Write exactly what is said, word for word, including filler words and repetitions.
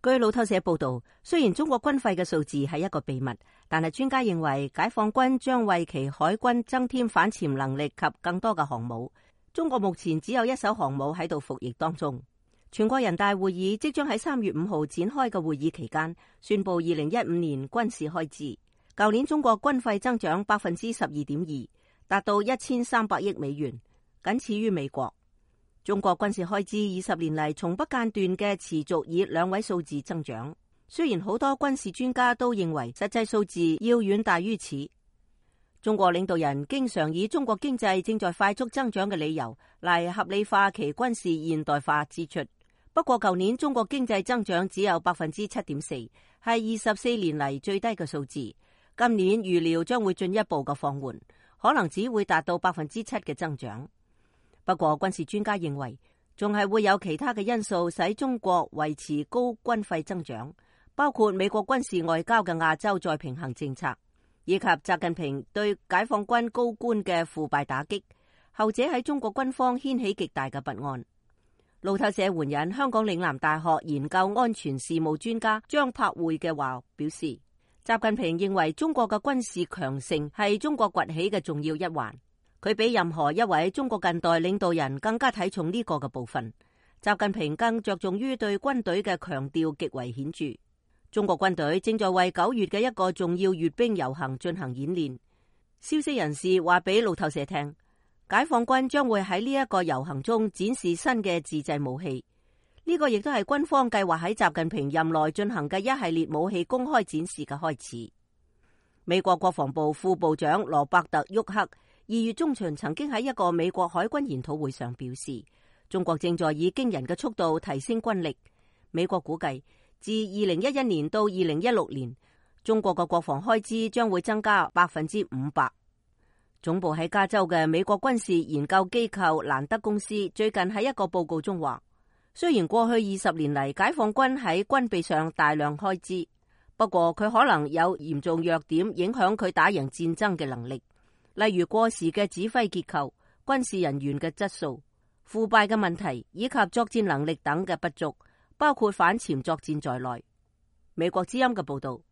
據路透社報道，雖然中國軍費嘅數字係一個秘密，但係專家認為解放軍將為其海軍增添反潛能力及更多嘅航母。中國目前只有一艘航母喺度服役當中。全國人大會議即將喺三月五號展開嘅會議期間，宣布二零一五年軍事開支。舊年中國軍費增長百分之十二點二，達到一千三百億美元，僅次於美國。中國軍事開支二十年嚟從不間斷嘅持續以兩位數字增長，雖然好多軍事專家都認為實際數字要遠大於此。中國領導人經常以中國經濟正在快速增長嘅理由嚟合理化其軍事現代化支出。不過舊年中國經濟增長只有百分之七點四，係二十四年嚟最低嘅數字。今年預料將會進一步嘅放緩，可能只會達到百分之七嘅增長。不過軍事專家認為，仲係會有其他嘅因素使中國維持高軍費增長，包括美國軍事外交嘅亞洲再平衡政策，以及習近平對解放軍高官嘅腐敗打擊，後者喺中國軍方掀起極大嘅不安。路透社援引香港嶺南大學研究安全事務專家張柏會嘅話表示，習近平認為中國嘅軍事強盛係中國崛起嘅重要一環。佢比任何一位中國近代領導人更加睇重呢個嘅部分。習近平更着重於對軍隊嘅強調極為顯著。中國軍隊正在為九月嘅一個重要閱兵遊行進行演練。消息人士話俾路透社聽，解放軍將會喺呢一個遊行中展示新嘅自製武器。呢個亦都係軍方計劃喺習近平任內進行嘅一系列武器公開展示嘅開始。美國國防部副部長羅伯特·沃克二月中旬曾經喺一個美國海軍研討會上表示，中國正在以驚人嘅速度提升軍力。美國估計，自二零一一年到二零一六年，中國嘅國防開支將會增加百分之五百。總部喺加州嘅美國軍事研究機構蘭德公司最近喺一個報告中話，雖然過去二十年嚟解放軍喺軍備上大量開支，不過佢可能有嚴重弱點影響佢打贏戰爭嘅能力。例如過時嘅指揮結構、軍事人員嘅質素、腐敗嘅問題以及作戰能力等嘅不足，包括反潛作戰在內。美國之音嘅報道。